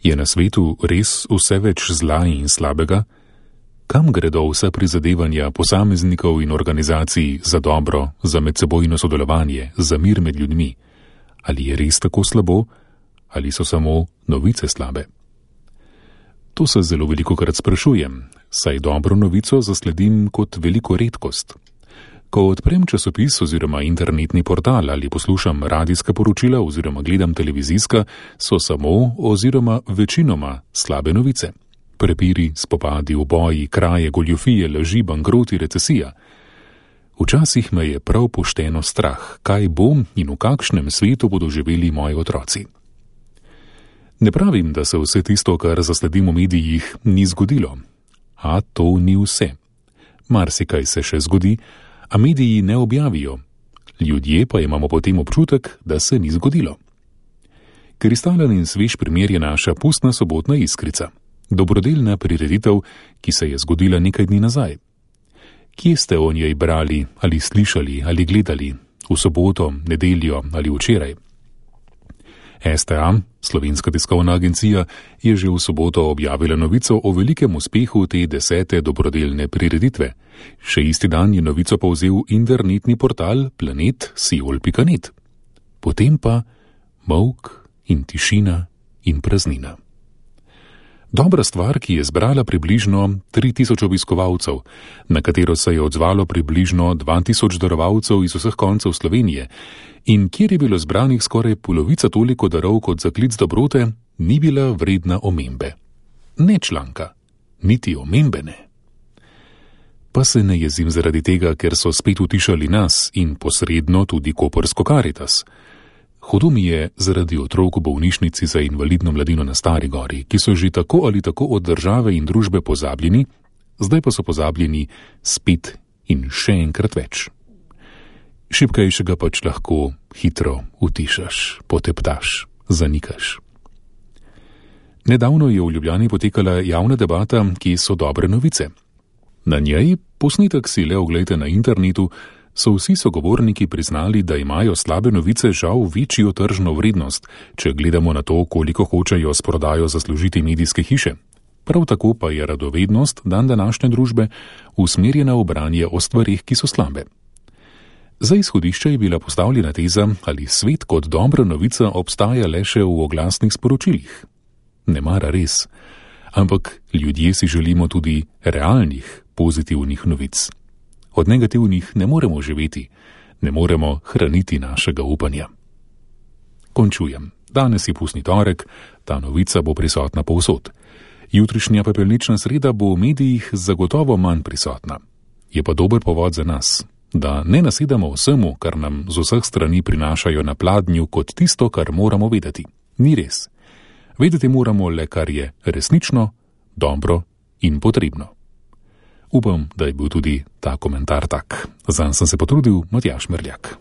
Je na svetu res vse več zla in slabega? Kam gredo vsa prizadevanja posameznikov in organizacij za dobro, za medsebojno sodelovanje, za mir med ljudmi? Ali je res tako slabo? Ali so samo novice slabe? To se zelo velikokrat sprašujem, saj dobro novico zasledim kot veliko redkost. Ko odprem časopis oziroma internetni portal ali poslušam radijska poročila oziroma gledam televizijska, so samo oziroma večinoma slabe novice. Prepiri, spopadi, uboji, kraje, goljufije, laži, bankroti, recesija. Včasih me je prav pošteno strah, kaj bom in v kakšnem svetu bodo živeli moji otroci. Ne pravim, da se vse tisto, kar zasledim v medijih, ni zgodilo. A to ni vse. Marsikaj se še zgodi, a mediji ne objavijo. Ljudje pa imamo potem občutek, da se ni zgodilo. Kristalen in svež primer je naša pustna sobotna iskrica. Dobrodelna prireditev, ki se je zgodila nekaj dni nazaj. Kje ste o njej brali, ali slišali, ali gledali, v soboto, nedeljo ali včeraj? STA, Slovenska tiskovna agencija, je že v soboto objavila novico o velikem uspehu te 10. dobrodelne prireditve. Še isti dan je novico povzel internetni portal planet.siol.net. Potem pa molk in tišina in praznina. Dobra stvar, ki je zbrala približno 3000 obiskovalcev, na katero se je odzvalo približno 2000 darovalcev iz vseh koncev Slovenije in kjer je bilo zbranih skoraj polovica toliko darov kot za klic dobrote, ni bila vredna omembe. Ne članka, niti omembe ne. Pa se ne jezim zaradi tega, ker so spet utišali nas in posredno tudi koprsko Karitas. Hudo mi je zaradi otrok v bolnišnici za invalidno mladino na Stari gori, ki so že tako ali tako od države in družbe pozabljeni, zdaj pa so pozabljeni spet in še enkrat več. Šibkejšega pač lahko hitro utišaš, poteptaš, zanikaš. Nedavno je v Ljubljani potekala javna debata, kje so dobre novice. Na njej, posnetek si le oglejte na internetu, so vsi sogovorniki priznali, da imajo slabe novice žal večjo tržno vrednost, če gledamo na to, koliko hočejo s prodajo zaslužiti medijske hiše. Prav tako pa je radovednost današnje družbe usmerjena v branje o stvarih, ki so slabe. Za izhodišče je bila postavljena teza, ali svet kot dobra novica obstaja le še v oglasnih sporočilih. Ne mara res, ampak ljudje si želimo tudi realnih, pozitivnih novic. Od negativnih ne moremo živeti, ne moremo hraniti našega upanja. Končujem. Danes je pustni torek, ta novica bo prisotna povsod. Jutrišnja pepelnična sreda bo v medijih zagotovo manj prisotna. Je pa dober povod za nas, da ne nasedamo vsemu, kar nam z vseh strani prinašajo na pladnju kot tisto, kar moramo vedeti. Ni res. Vedeti moramo le, kar je resnično, dobro in potrebno. Upam, da je bil tudi ta komentar tak. Zanj sem se potrudil, Matjaž Merljak.